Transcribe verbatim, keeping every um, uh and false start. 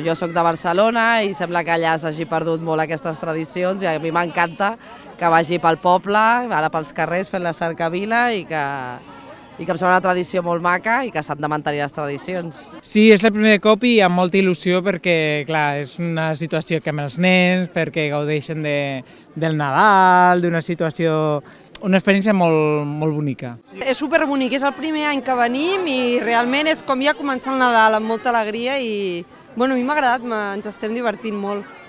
jo sóc de Barcelona i sembla que allà s'hagi perdut molt aquestes tradicions i a mi m'encanta que vagi pel poble, ara pels carrers fent la cercavila i que, i que em sembla una tradició molt maca i que s'han de mantenir les tradicions. Sí, és el primer cop i amb molta il·lusió perquè, clar, és una situació que amb els nens, perquè gaudeixen de, del Nadal, d'una situació, una experiència molt, molt bonica. És superbonic, és el primer any que venim i realment és com ja començar el Nadal amb molta alegria i bueno, a mi m'ha agradat, ens estem divertint molt.